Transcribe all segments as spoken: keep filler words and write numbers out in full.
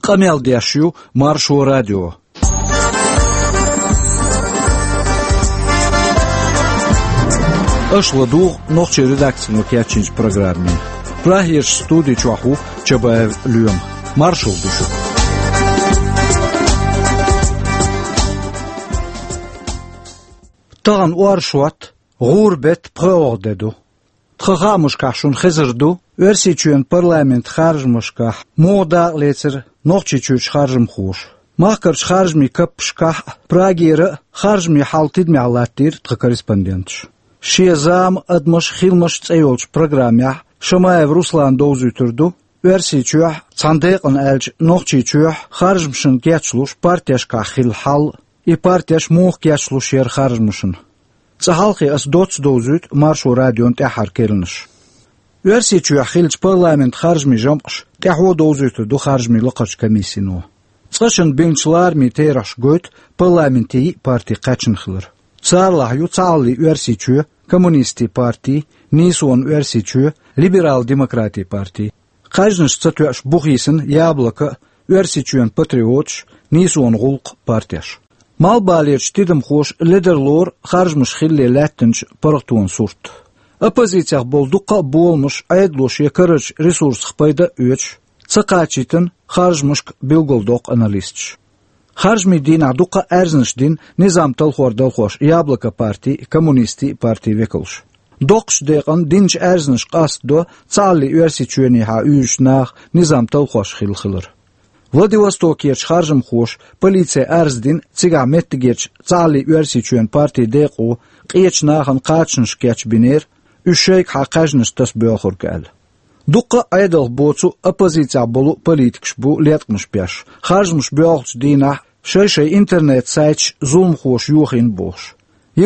Къамел деш ю Маршо радио. Аша ладугӀу нохчийн редакцино кечйинчу программе. Прагерчу студи чохь ву Чабаев Лоьма. Маршалла ду шуьга. Тахана оршот, гӀуран беттан пхоьалгӀа де ду. Тхан хаамашкахь шуна хезар ду Оьрсийчоьнан парламентан харжамашкахь муха дакъалецира Нохчийчуьрчу харжамхоша. Махкарчу харжамийн каппашкахь а, Прагера а харжамийн хьал тидамехь латтийра тхан корреспонденташа. «Шен зама, адамаш, хиламаш» цӀе йолчу программехь Шамаев Руслана довзуьйтур ду Оьрсийчохь, цхьана декъана аьлча Нохчийчохь, харжамашна кечлуш партешкахь хилла хьал, и партеш муха кечлуш яра харжамашна. Цкъа хьалхе аса доцца довзуьйту Маршо радион тӀаьххьара керланаш. Оьрсийчохь хиллачу парламентан харжамийн жамӀаш тӀаьхьо довзуьйтур ду харжамийн лакхарчу комиссино. Цкъачунна бинчу ларамийн терахьаша гойту парламенте йиъ парти кхаьчна хилар. Царалахь ю Цхьааллин Оьрсийчоь, Коммунистийн парти, Нийсонан Оьрсийчоь, Либерал-демократийн парти. Кхаьжнаш ца тоьуш бу хийсина Яблоко а, Оьрсийчоьнан патриоташ, Нийсонан гӀуллакх а партеш. Малхбалерчу тидамхоша ледарлора харжамаш хиллале лаьттинчу паргӀатонан сурт. Оппозицех болу дуккха а боламаш Ӏедало шен карарчу ресурсах пайда а оьцуш, ца кхачийтина харжамашка билгалдоккху аналисташа. Харжамийн дийнахь дуккха а аьрзнаш дина низам талхор далхош Яблоко партин а, Коммунистийн а партин векалша. Доккхачу декъана динчу аьрзнашка къастадо Цхьааллин Оьрсийчоьнехьа уьйраш наха низам талхош хилла хилар. Владивостокерчу харжамхоша полице арз дина цигахь меттигерчу Цхьааллин Оьрсийчоьнан партин декъо къечу нахана кхачанаш кечбинера, уьш шайгахьа кхаьжнаш таса боьлхург аьлла. Дуккха а Ӏедалх боцу а, оппозицехь болу а политикаш бу леткъамаш беш, харжамаш боьлхучу дийнахь шай-шай интернет-сайташ зуламхоша йохийна бохуш.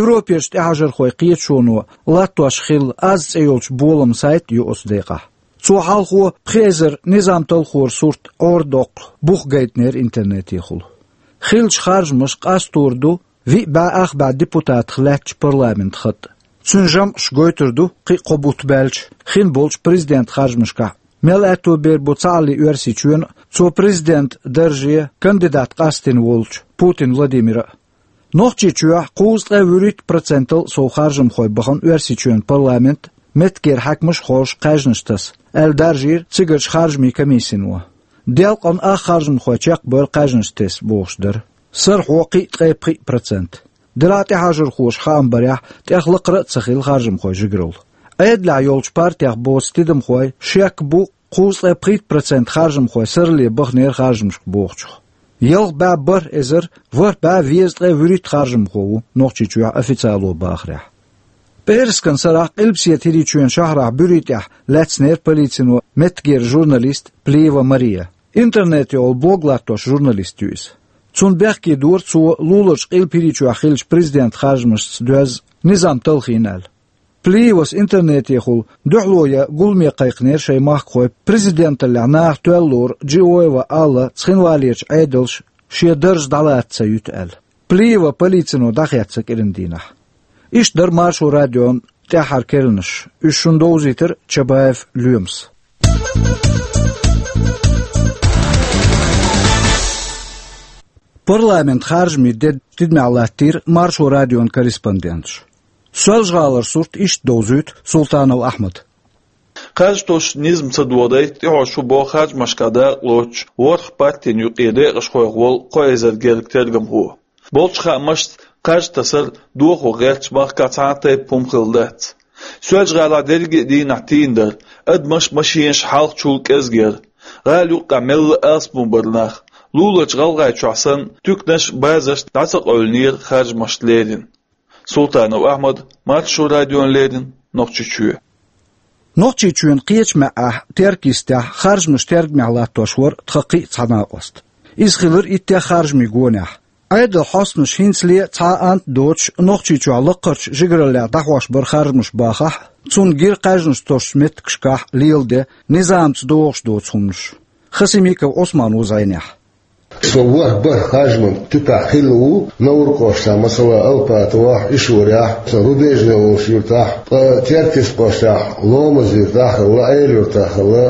Европерчу тӀаьхьажархойн кхеташоно латтош хилла «Аз» цӀе йолчу боламан сайт а ю оцу декъахь. Цо хьалхо пхи эзар низам талхоран сурт Ӏорадоккху бух гайтинера интернетехула. Хиллачу харжамаша къастор ду виъ бӀе ах бӀе депутатах лаьттачу парламентан хатӀ. Цуьнан жамӀаш гойтур ду кхин а кхо бутт баьлча хин болчу президентан харжамашкахь мел аьтто бер бу Цхьааллин Оьрсийчоьнан а, цо президентан дарже кандидат къастийна волчу Путин Владимиран а. Нохчийчохь кхузткъе вуьрхӀитта процентал сов харжамхой бахана Оьрсийчоьнан парламент меттигера хьаькамаш а хоржуш кхаьжнаш таса, аьлла даржийра цигарчу харжамийн комиссино. Делкъана ах харжамхой чекхбевлла кхаьжнаш тесна бохуш дара. Сарахьо кхин а ткъе пхиъ процент. Делахь а тӀаьхьажархоша хаам барехь, тӀех лакхара а ца хилла харжамхойн жигаралла. Ӏедалехь йолчу партех боцу тидамхой шек бу кхузткъе пхийтта процент харжамхой сарале баханера харжамашка бохучух. Ялх бӀе бархӀ эзар ворхӀ бӀе везткъе вуьрхӀитта харжамхо ву Нохчийчохь официало бахарехь. ПӀераскан сарахь Къилбаседа ХӀирийчоьнан шахьарахь буьрий тӀехь лаьцнера полицино меттигера журналист Плиева Мария. Интернетехула блог латтош журналист ю иза. Цунна бехке дора цо луларчу Къилба ХӀирийчохь хиллачу президентан харжамашца доьзна низам талхийна аьлла. Плиевас интернетехула дуьхьало ян гуламе кхайкхинера шайн махкахой президенталлехь наха тоьлла лору Джиоева Алла цхинвалерчу Ӏедалша шен дарж дӀалаца ца юьту аьлла. Плиева полицино дӀахецна кӀиран дийнахь. Иштта дара Маршо радион тӀаьххьара керланаш. Уьш шуна довзийтира Чабаев Лоьмас. Парламентан харжамийн де тидамехь латтийра Маршо радион корреспонденташа. Соьлжа-ГӀалара сурт иштта довзуьйту Султанов Ахьмада. Кхаж тосучу низам ца доладайта тӀехьо шу бо харжамашкахь дакъалоцуш ворхӀ партин юкъе декъашхойх волу кхо эзар гергга тергамхо. Болчу хаамашца, кхаж тасар дохо гӀертачу махкахь цхьа а тайпа хӀума хилла дац. Соьлжа-ГӀалахь дерриге а дийнахь тийна дара, адамаш а, машенаш а хьалха-чул кӀезиг яра. ГӀала юккъехь мелла а алсамо бара нах. Луларчу ГӀалгӀайчохь санна, туьканаш а, базарш а дӀа ца къевлинера харжамашна леррина. Султанов Ахьмад, Маршо радиона леррина, Нохчийчоь. Нохчийчоьнан кхечу маьӀӀехь Теркйистехь харжамаш тергамехь латтош вара тхан кхин а цхьа накъост. Иза хилира иттех харжамийн гонехь. Ӏедалан хьостанаша хӀинцале а цхьа а ант а доцуш, Нохчийчохь лакхарчу жигараллехь дӀахьош бара харжамаш бахахь а, цунна гира кхаьжнаш тосучу меттигашкахь леладе низамца догӀуш доцу хӀуманаш. Хасимиков Ӏусман ву зӀенехь. Со ворхӀ бархӀ харжаман типехь хилла ву, Навр-кӀоштахь, масала, Алпатовехь, Ишурехь, сан Рубежный волчу юьртахь, ткъа Теркйист-кӀоштахь, Ломаз-юьртахь а хилла, Ӏела-юьртахь а хилла,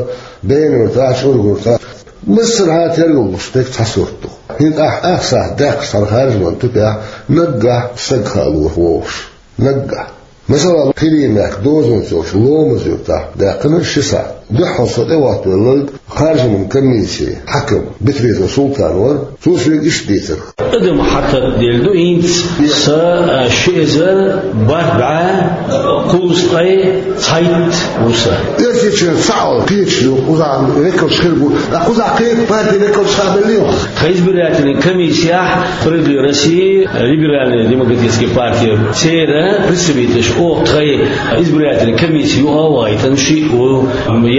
Бена-юьртахь а, ЧӀурга-юьртахь а. Массархьа тергал луш дерг цхьа сурт ду. ХӀинца ахь ах сахьт даьккхача цхьана харжаман тупехь наггахь саг хаа лоьху вовшах. Наггахь. Масала, Кхилин мехка дозанца йолчу Ломаз-Юртахь даьккхина ши сахьт. Дуьххьал со тӀехӀоттавелларг харжаман комиссин хьаькам Битвизов Султан вара, цо соьга иштта дийцира. Адам хьататделла ду хӀинца, сан, а, ши эзар бархӀ бӀе кхузткъе цхьайтта ву сан. Оьрсийчоьнца цхьаъ кхеташ ю, кхузахь векалш хир бу, ткъа кхузахь кхета партин векалш хаа беллий хьуна? Тхан избирательный комиссияхь Правительство России, Либеральная демократическая партия, церан представителаш оха тхан избирательный комисси юкъа а вахийтина, шиъ ву,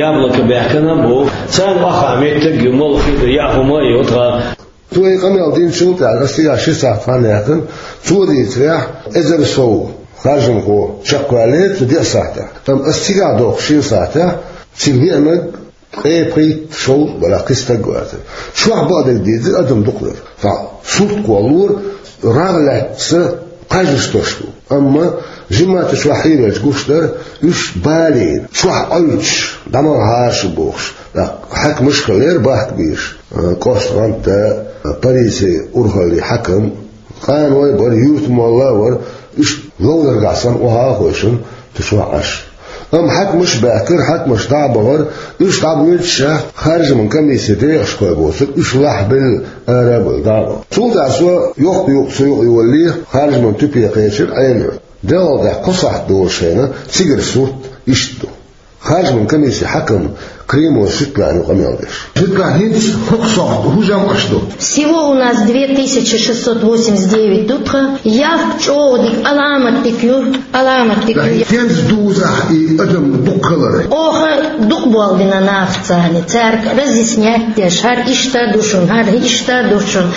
Яблоко баьхкина бу. Царна охьа меттиг а ю, молла хи а ду, яа хӀума а ю тхан. Цо и къамел динчул тӀаьхьа ас цигахь ши сахьт хан яьккхина, цо дийцарехь, эзар сов харжамхо чекхваьллера цу деа сахьтехь. Амма ас цигахь доккху шина сахьтехь цига веанарг ткъе пхийтта-шовзткъа барах кхин стаг вацара. Чохь бакъдерг дийцира, адам дукха вара. Цхьа сурт кхоллалора, рагӀ лаьцна кхаж а тосуш ду. Амма жимма а чохь хьийрелча гуш дара, уьш балийна, чохь Ӏуьллуш, дӀа ма гӀара шу бохуш, тӀаккха хьаькамаш а хилира бахка бийраш, а, КӀоштгӀанта, а, Париси урхаллин хьаькам, къаной а бара, юьртан молла а вара, уьш ловзаргахь санна охьа а хойшина, цу чохь Ӏаш. Амма хьаькамаш а баьхкира, хьаькамаш дӀа а бахара, уьш дӀабоьдуш а, харжаман комиссин декъашхой боцург уьш лахьбелла ара а бевлла дӀа а бахара. Цул тӀаьхьа со йоккха юкъа ца юкъа йолале, харжаман тупе кхечира Ӏела-ЮртӀа. Делхалдехь кхо сахьт долуш хенахь цигара сурт иштта ду. Харжаман комиссин хьаькам Кримов Светлана ю къамел деш. Светлана, хӀинца хӀокху сохьта хӀун жамӀаш ду? Всего у нас две тысячи шестьсот восемьдесят девять ду тхан. Явка чӀогӀа дика, аламат дика ю, аламат дика ю. Кхин хӀинца дузахь и адам дукха хилар? Оха дукха болх бина нахаца, цаьрга разъяснять деш, хӀара иштта ду шуна, хӀара иштта ду шуна.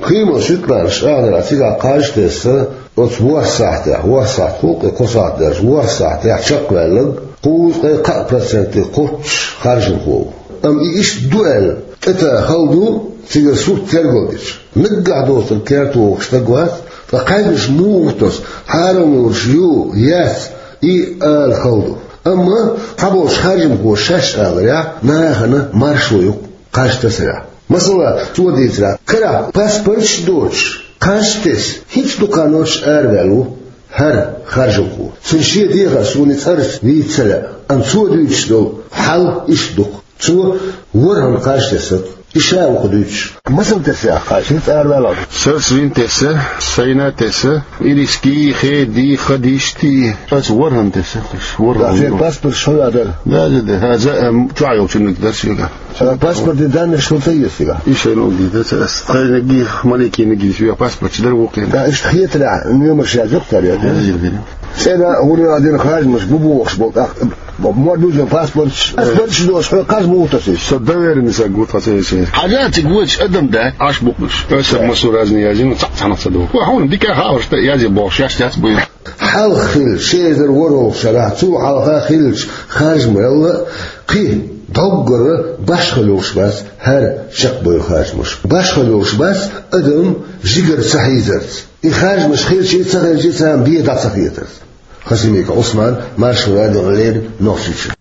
Кхийман Светланас аьлла, цигахь кхаж тесна, оцу ворхӀ сахьтехь, ворхӀ сахьт, хӀокху кхо сахьт дерш, ворхӀ сахьтехь чекхваьлларг кхузткъе кхаа проценте кхоччуш харжамхо ву. Амма и иштта ду аьлла, тӀетаха хала ду, цигара сурт тергал дича. Наггахь доцург керта вогӀуш стаг вац, ткъа кхаьжнаш муха тосу, хьарам луш ю, яц, и ала хала ду. Амма цхьаболчу харжамхоша шаьш аларехь, нахана маршо ю кхаж тасарехь. Масала, цо дийцарехь, карахь паспорташ а доцуш, кхаж тесна, хӀинца дукха нохчо араваьлла ву хӀара харжамхо. Цуьнан шен дехар суна и цӀарца вийца ца лаьа, амма цо дуьйцуш долу хьал иштта ду-кх. Цо ворхӀанна кхаж тесна-кх, и ша ву-кх дуьйцуш. Масала тесна ахь кхаж, хӀинца араваьлла? Сарца вина тесна, сайна а тесна, ириски, хеди, хадишти. Сарца ворхӀанна тесна, ворхӀанна. Да, шен паспорт шо а дара? Да, да, да. Ха, за, эм, чохь йолчунна дара соьга. Ша паспортан данныш хӀун ца еза цигахь? И шайна угги дац ас. Тхайниг, Маликиниг, соьга паспорт дара вукхина. Да, иштта хетарехь, номерш язйо-кх цара, я? Язйо, дина. ЦӀена гӀур а дина харжамаш бу бохуш болу, тӀаккха мо дуьзна паспорташ, паспорташ доцуш хьо кхаж муха тосуьйту? Со доверенный стаг ву тхан церан. Хьажа цига вочу адам дац, Ӏаш бу-кх уьш. Аса массо разный язйина, цхьаъ цхьанах ца доху. Ва хьуна дика хабарш тӀе язъе бохуш, шаьш яц буй. Хьалха хилла, ши эзар ворхӀалгӀачу шарахь, цул хьалха хиллачу харжамалла кхин доггара башхалла йолуш бац хӀара чекхбевлла харжамаш. Башхалла йолуш бац адам жигара ца хьийзарца. И харжамаш хилча а, ца хилча а царна бен дӀа ца хетарца. Хасимиков Ӏусман, Маршо радиона леррина, Нохчийчоь.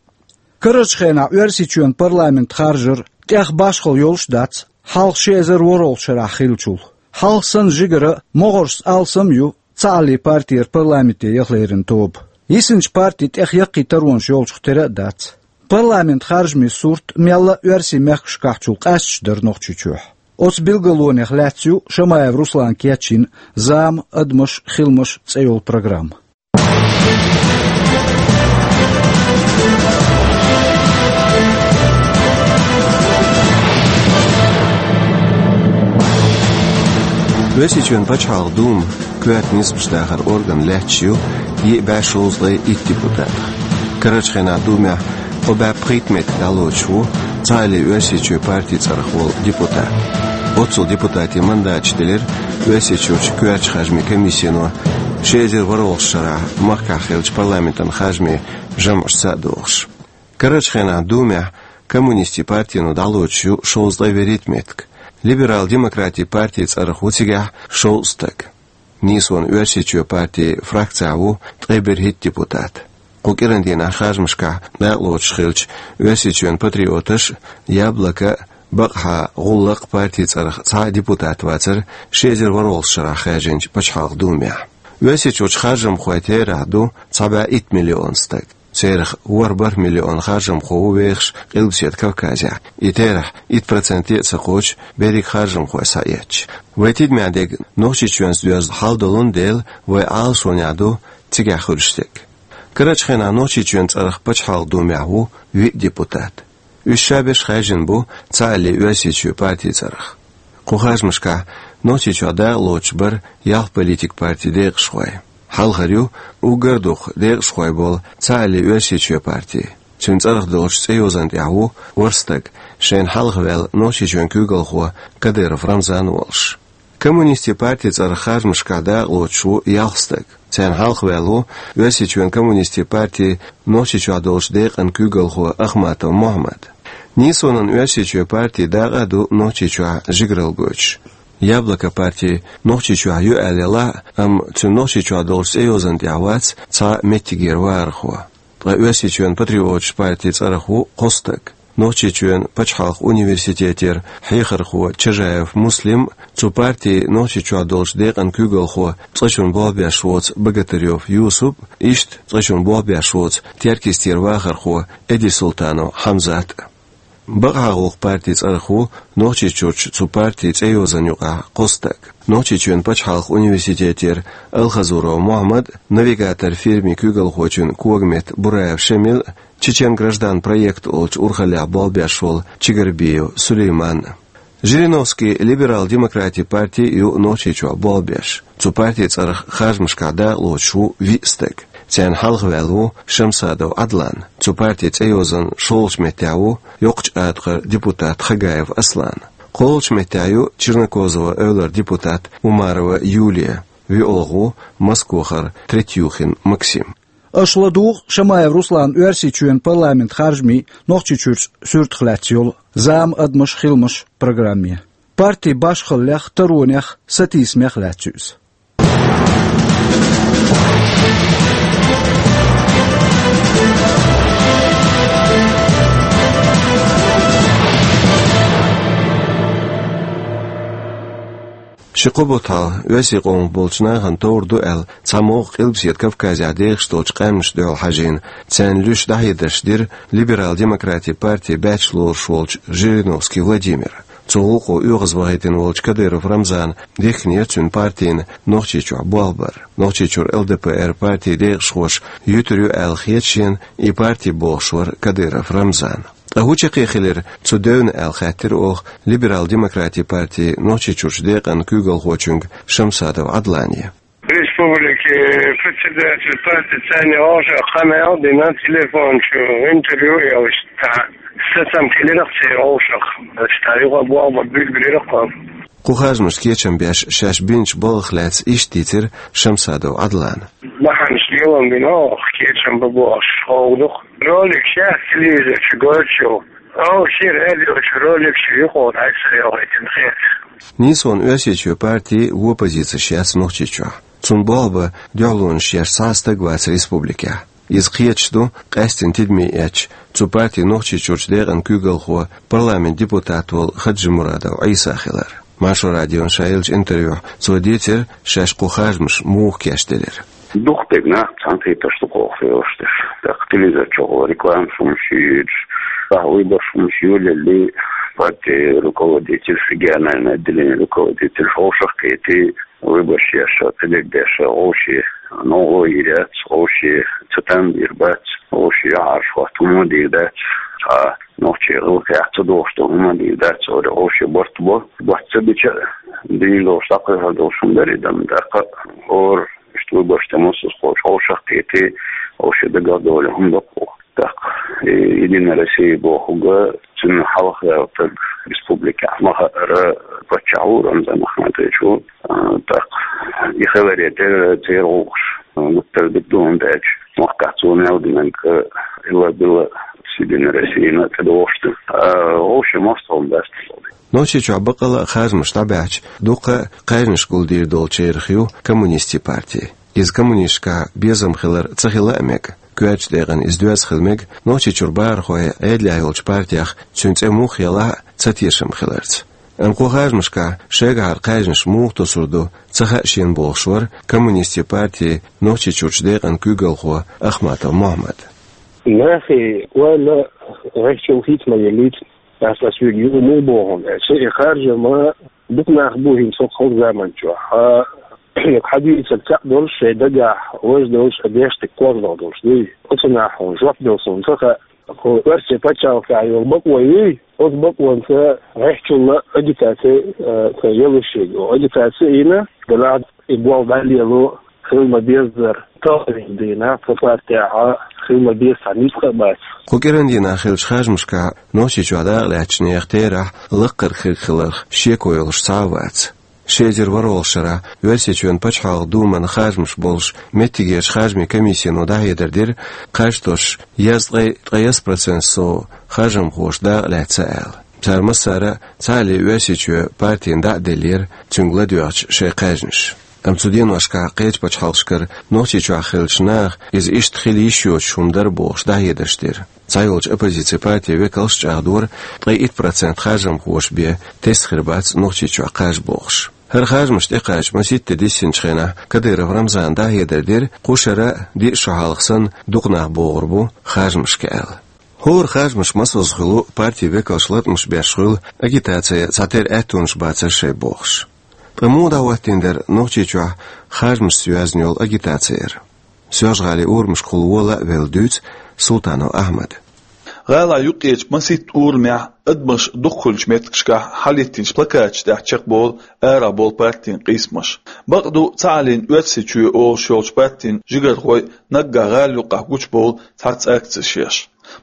Карарчу хенахь Оьрсийчоьнан парламент харжар тӀех башхалла йолуш а дац, хьалха ши эзар ворхӀалгӀачу шарахь хиллачул. Хьалха санна жигара могӀаршца алсам а ю Цхьааллин партера парламенте яха леррина тоба. Йисинчу партин тӀех яккхий таронаш йолчух тера а дац. Парламент харжамийн сурт мелла а оьрсийн мехкашкахьчул къаьсташ дара Нохчийчохь. Оцу билгалонех лаьцна ю Шамаев Руслана кечйина «Зама, адамаш, хиламаш» цӀе йолу программа. Оьрсийчоьнан пачхьалкхан Дума коьрта нисбаш дахар орган лаьтташ ю йиъ бӀе шовзткъе итт депутатах. Карарчу хенахь Думехь кхо бӀе пхийтта меттиг дӀалоцуш ву Цхьааллин Оьрсийчоь партин цӀарах волу депутат. Оццул депутатийн мандаташ делира Оьрсийчуьрчу коьртачу харжамийн комиссино ши эзар ворхӀалгӀачу шарахь махкахь хиллачу парламентан харжамийн жамӀашца а догӀуш. Карарчу хенахь Думехь коммунистийн партино дӀалоцуш ю шовзткъе вуьрхӀитта меттиг. Либерал-демократийн партин цӀарах ву цигахь шовзткъа стаг. Нийсонан Оьрсийчоь партин фракцехь ву ткъе берхӀитта депутат. Кху кӀиран дийнахь харжамашкахь дакъалоцуш хиллачу Оьрсийчоьнан патриоташ а, Яблоко а, Бакъахьа гӀуллакх, партин цӀарах цхьа а депутат вацар ши эзар ворхӀалгӀача шарахь хаьржинчу Пачхьалкхан Думехь. Оьрсийчуьрчу харжамхойн терахь ду цхьа бӀе итт миллион стаг. Церах ворхӀ бархӀ миллион харжамхо ву вехаш Къилбаседа Кавказехь, и терахь итт проценте а ца кхочу берриг харжамхой схьаэцча. Вайн тидамехь дерг Нохчийчоьнца доьзна хьал долун дела, вайн Ӏалашонехь ду цигахь хуьлуш дерг. Карарчу хенахь Нохчийчоьнан цӀарах Пачхьалкхан Думехь ву виъ депутат. Уьш ша берш хаьржина бу цхьааллин Оьрсийчоь партин цӀарах. Кху харжамашкахь Нохчийчохь дакъалоцуш бара ялх политикан партин декъашхой. Хьалхара ю уггар а дукха декъашхой болу цхьааллин Оьрсийчоь парти. Цуьнан цӀарах долчу цӀейозанна тӀехь ву ворхӀ стаг, шайна хьалха ваьлла Нохчийчоьнан куьйгалхо Кадыров Рамзан волуш. Коммунистийн партин цӀарах харжамашкахь дакъалоцуш ву ялх стаг. Царна хьалха ваьлла ву Оьрсийчоьнан коммунистийн партин Нохчийчохь долчу декъан куьйгалхо Ахматов Мохьмад. Нийсонан Оьрсийчоь парти дакъа а ду Нохчийчохь жигаралла гойтуш. Яблоко парти Нохчийчохь ю аьлла елахь а, амма цуьнан Нохчийчохь долчу цӀейозанна тӀехь вац цхьа а меттигера вахархо. Ткъа Оьрсийчоьнан патриотийн партин цӀарах ву кхо стаг. Нохчийчоьнан пачхьалкхан университетера хьехархо Чажаев Муслим, цу партин Нохчийчохь долчу декъан куьйгалхо, цкъачунна болх беш воцу Богатырёв Юсуп, иштта цкъачунна болх беш воцу Теркйистера вахархо Эдисултанов Хьамзат. Бакъахьа гӀуллакх партин цӀарах ву Нохчийчуьрчу цу партин цӀейозанна юкъахь кхо стаг. Нохчийчоьнан пачхьалкхан университетера Алхазуров Мохьмад, «Навигатор» фирмин куьйгалхочун когаметта Бураев Шамил, «Чечен граждан» проект олучу урхаллехь болх беш волу Чигарбиев Сулейман. Жириновский либерал-демократийн парти ю Нохчийчохь болх беш. Цу партин цӀарах харжамашкахь дакъалоцуш ву виъ стаг. Царна хьалха ваьлла ву Шамсадов Ӏадлан. Цу партин цӀейозанна шолгӀачу меттехь ву Йоккхачу АтагӀара депутат Хагаев Аслан. КхоалгӀачу меттехь ю Чернокозово-Эвлара депутат Умарова Юлия. ВоьалгӀа ву Москвахара Третьюхин Максим. Аша ладугӀу Шамаев Русланан Оьрсийчоьнан парламентан харжамийн Нохчийчуьрчу суьртах лаьцна йолу «Зама, адамаш, хиламаш» программе. Партин башхаллех, таронех, сатийсамех лаьцна ю иза. Ши-кхо бутт хьалха оьрсийн къомах болчу нахана товр ду аьлла, цхьа могӀа Къилбаседа Кавказехь дехаш долчу къаьмнашна дуьхьал хьажийна, царна луьйш дӀахьедарш дира либерал-демократийн партин баьчча лоруш волчу Жириновский Владимира. Цу гӀуллакхо оьгӀазвахийтина волчу Кадыров Рамзана дихкинера цуьнан партина Нохчийчохь болх бар. Нохчийчуьра ЛДПР партин декъашхоша юьтур ю аьлла хета шена и парти бохуш вара Кадыров Рамзан. Ткъа хӀун чаккхе хилира цу девна аьлла хаьттира оха либерал-демократийн партин Нохчийчуьрчу декъан куьйгалхочуьнга Шамсадов Ӏадлане. Республикин председатель партин цӀарна вовшах къамел дина, телефон чу интервью йолуш, цхьа сацам хилира церан вовшах. Ша юха болх бан билгалбира кхо. Кху харжамашна кечам беш шаьш бинчу балхах лаьцна иштта дийцира Шамсадов Ӏадлана. Бахьанаш лелам бина оха, кечам бан бохуш ховгӀа ду-кх. Ролик шаьш телевизор чу гойтуш ю. Оха шен радио чу ролик чу юкъара хьаьжцӀа йохуьйтина хета. Нийсонан Оьрсийчоь парти вон позицеш яц Нохчийчохь. Цунна болх бан дуьхьалонаш еш цхьа а стаг вац республикехь. Иза кхеташ ду къаьсттина тидаме эцча цу партин Нохчийчуьрчу декъан куьйгалхо, парламентан депутат волу Хаджимурадов Ӏийса хилар. Маршо радиона ша еллачу интервьюхь цо дийцира шаьш кху харжамаш муха кечделира. Дукха дерг нах цхьаьнакхетарш ду кху хьокъехь йолуш дерш. ТӀаккха телевизор чохь рекламаш хӀумаш йоьдуш, тӀаккха выбораш хӀумаш йолале, партин руководитель, региональный отделение руководитель вовшах кхетий, выбораш еш, кхидерг деш, вовшийн новкъарло йийр яц, вовшийн цатам бийр бац, вовшийн юьхьӀаьржа хӀотта хӀума дийр дац, цхьа нохчийн гӀиллакхех ца догӀуш долу хӀума дийр дац, вовшийн барт бо. Барт ца бича, дийр долуш, дӀакхайкхор долуш хӀума дара и дан, тӀаккха хӀора иштта выбораш тӀе муссаза кхочу вовшах кхетий, вовшийн дагах долу хӀума ду-кх. ТӀаккха и Единая Россия бохург, цуьнан хьалха ваьлла стаг республикехь ма хаъара паччахь ву, Рамзан Ахматович ву. А, тӀаккха и хиларе терра церан гӀуллакхаш гуттар а дика ду, хӀунда аьлча махкахь цо мел динарг, а, илла-билла Единая Россияна тӀедогӀуш ду. А, вовшийн мостагӀалла дац тхуна. Нохчийчохь баккъалла а харжамаш дӀабаьхьча, дуккха а кхаьжнаш гулдийр долчарах ю коммунистийн парти. Иза коммунисташкахь безам хилар ца хила а мега. Коьртачу декъана иза доьзна хила мега Нохчийчуьра бахархойн Ӏедалехь йолчу партех, цуьнан цӀе муха елахь а, цатешам хиларца. Амма кху харжамашкахь шайгахьара кхаьжнаш муха тосур ду, ца хаьа шена бохуш вара коммунистийн партин Нохчийчуьрчу декъан куьйгалхо Ахматов Мохьмад. Нахе ойла гӀеххьачул хийца ма еллийта, аса ас вига юха муха боху аьлча, и харжам дукха нах бу хӀинца хӀокху заман чохь. Хьан, хьан дийцар цхьаъ долуш, шайн дагахь важа долуш, а деш дика кхозлагӀа долуш дуй? Оцу нахе хьуна жоп дала суна ца хаьа. Хьо оьрсийн пачхьалкхехь йолу бакъо юй, оцу бакъонца гӀеххьачул агитаци, а, ца ялуш ерг. Агитаци йина, делахь и болх дӀалело хила ма-беззара, талхийна дийнахь, цу партехь хила ма-безза цхьа ницкъ а бац. Кху кӀиран дийнахь хиллачу харжамашкахь Нохчийчохь дакъалаьцначу нехан терахь лаккхара хирг хиларх шеко йолуш цхьа а вац. Ши эзар ворхӀалгӀачу шарахь Оьрсийчоьнан пачхьалкхан думан харжамаш болуш меттигерчу харжамийн комиссино дӀахьедар дира, кхаж тосуш, язткъе ткъе исс процент сов харжамхоша дакъалаьцна аьлла. Цара массара а цхьаалле Оьрсийчоь партина дӀа а деллера, цуьнга ладоьгӀча шайн кхаьжнаш. Амма цу деношкахь кхечу пачхьалкхашкара Нохчийчохь хиллачу наха иза иштта хила йиш йоцуш хӀума дара бохуш дӀахьедарш дира. Цхьайолчу оппозицин партийн векалш а чӀагӀдора, ткъе итт процент харжамхоша бен тесна хир бац Нохчийчохь кхаж бохуш. ХӀара харжамаш тӀекхача масийтта де диссинчу хенахь Кадыров Рамзана дӀахьедар дира, кху шарахь а, диъ шо хьалха санна, дукха нах богӀур бу харжамашка аьлла. ХӀора харжамаш масазза хуьлу, партийн векалш латкъамаш беш хуьлу, агитацин цхьатерра аьттонаш бацара шайн бохуш. Ткъа муха дӀахӀоттийна дара Нохчийчохь харжамашца йоьзна йолу агитаци? Соьлжа-ГӀалин урамашкахула вола а велла дуьйцу Султанов Ахьмада. ГӀалахь юккъерчу масийтта урамехь адамаш дукха хуьлучу меттигашкахь хьалхӀиттинчу плакаташ тӀехь чекхболу арахь болу партийн къийсамаш. Бакъду, цхьааллин Оьрсийчоь олуш йолчу партийн жигархой наггахь гӀала юккъехь гучубовлу цхьацца акцеш еш.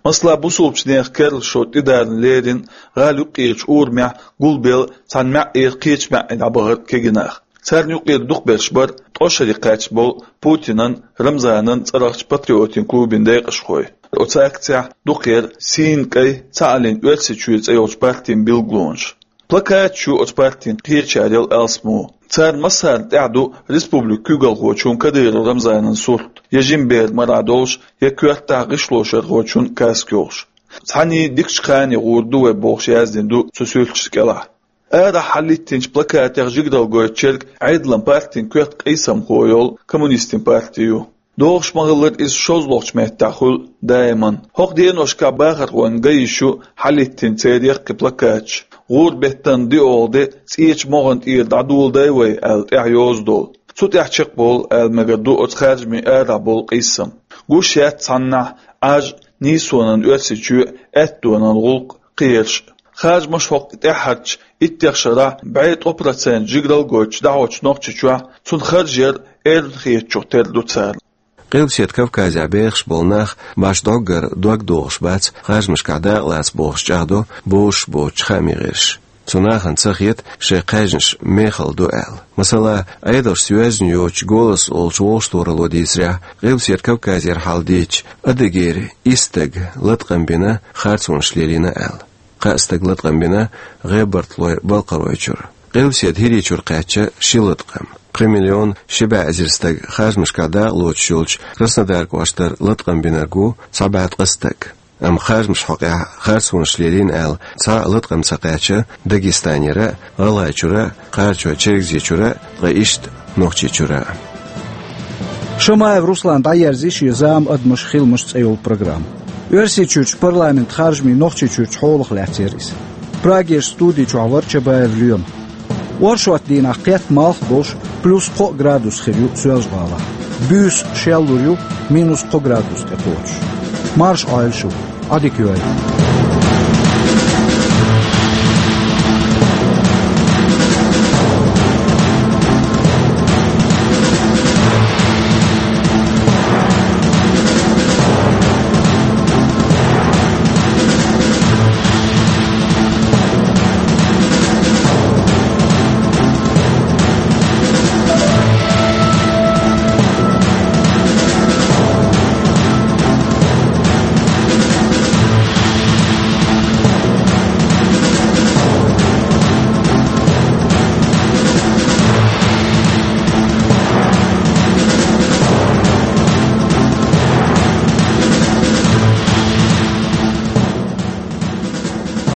Масала, бусулбачу нехан керлачу шо тӀедарна леррина гӀала юккъерчу урамехь гулбелла цхьана маьӀӀера кхечу маьӀӀе дӀабахара кегий нах. Царна юккъера дукхахберш бара ткъо шаре кхаьчна болу Путинан, Рамзанан цӀарахчу патриотийн клубийн декъашхой. Оцу акцехь дукхахберш сийна кӀайн, цхьааллин Оьрсийчоь цӀе йолчу партийн билгалонаш. Плакаташ ю оцу партийн кхечарел алсамо. Царна массарна тӀехь ду республикан куьйгалхочун Кадыров Рамзанан сурт, я жима бер марахь долуш, я коьртахь гӀишлошархочун каска йолуш. Цхьаний дикачу кхане гӀур ду вай бохуш яздина ду цу суьрташна кӀелахь. Арахь хьалхӀиттинчу плакатех жигаралла гойтучуьнга Ӏедалан партин коьрта къийсамхо йолу коммунистийн парти ю. ДогӀуш ма-хиллара, иза шозлагӀчу меттехь хуьлу даиман. ХӀокху деношкахь бахархойн ган йиш ю хьалхӀиттина церан яккхий плакаташ, гӀуран беттан диъолгӀа де, цӀечу могӀан тӀера дӀадоладай вай аьлла тӀехь йоза долу. Цу тӀехь чекхболу аьлла мегар ду оцу харжамийн арахь болу къийсам. Гуш яц цхьаннахь Ӏаж, нийсонан Оьрсийчоь, аьттонан гӀуллакх, кхераш. Харжамаш хӀокху тӀаьххьарчу иттех шарахь бӀе ткъо процент жигаралла гойтуш дӀахьочу Нохчийчохь цунна харж яр эрна хетачух тера ду царна. Къилбаседа Кавказехь бехаш болу нах башха дӀоггара дог дохуш бац харжамашкахь дакъалаца бохуш чӀагӀдо бозуш боцучу хаамийн гӀирсаша. Цу нахана ца хета шайн кхаьжнаш мехала ду аьлла. Масала, Ӏедалшца йоьзна йоцучу «Голос» олучу вовшахтохаралло дийцарехь, Къилбаседа Кавказера хьал дийцича, Адыгейра исс стага латкъам бина, харцонаш лелийна аьлла. Кхаа стага латкъам бина ГӀебарталойн Балкхаройчуьра. Къилбаседа ХӀирийчуьра кхаьчча ши латкъам. Пхи миллион ши бӀе эзар стага харжамашкахь дакъа лоцуш йолчу Краснодар кӀоштара латкъам бинарг ву цхьа бӀе ткъа стаг. Амма харжамашна хьокъехь харцонаш лелийна аьлла, цхьа а латкъам ца кхаьчна Дагестанера, ГӀалгӀайчуьра, Кхарачой-Чергазийчуьра, ткъа иштта Нохчийчуьра. Шамаев Руслана дӀаерзийра шен зама, «Адамаш, хиламаш» цӀе йолу программа. Оьрсийчуьрчу парламентан харжамийн Нохчийчуьрчу хьолах лаьцна яра иза. Прагерчу студи чохь вара Чабаев Лема. Оршот дийнахь кхетта малх долуш, плюс кхо градус хир ю Соьлжа-ГӀалахь. Буьйса шеллур ю, минус кхо градус тӀекхочуш. Марша Ӏойла шу, Ӏадика йойла.